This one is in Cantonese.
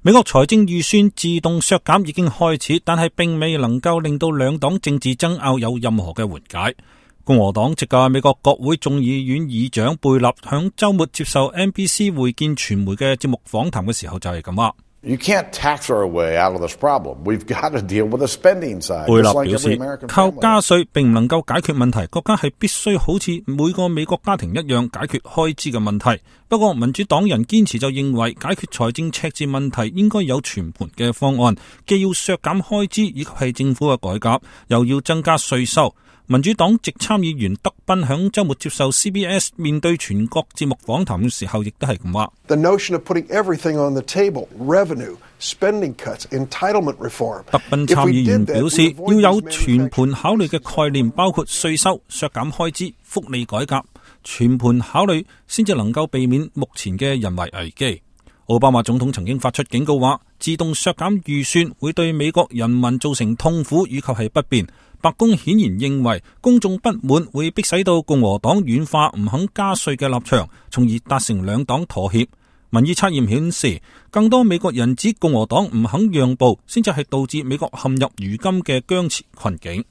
美國財政預算自動削減已經開始，但係並未能夠令到兩黨政治爭拗有任何嘅緩解。共和黨籍嘅美國國會眾議院議長貝納響週末接受 NBC 會見傳媒嘅節目訪談嘅時候就係咁話。You can't tax our way out of this problem. We've got to deal with the spending side. 貝納表示，靠加稅並唔能夠解決問題，國家係必須好似每個美國家庭一樣解決開支嘅問題。不過民主黨人堅持就認為解決財政赤字問題應該有全盤嘅方案，既要削減開支以及係政府嘅改革，又要增加稅收。民主黨籍參議員德賓響週末接受 CBS 面對全國節目訪談嘅時候，亦都係咁話。The notion of putting everything on the table, revenue, spending cuts, entitlement reform. 德賓參議員表示，要有全盤考慮嘅概念，包括稅收、削減開支、福利改革，全盤考慮先至能夠避免目前嘅人為危機。奧巴馬總統曾經發出警告話，自動削減預算會對美國人民造成痛苦以及係不便。白宮顯然認為公眾不滿會迫使到共和黨軟化唔肯加稅嘅立場，從而達成兩黨妥協。民意測驗顯示，更多美國人指共和黨唔肯讓步，先至係導致美國陷入如今嘅僵持困境。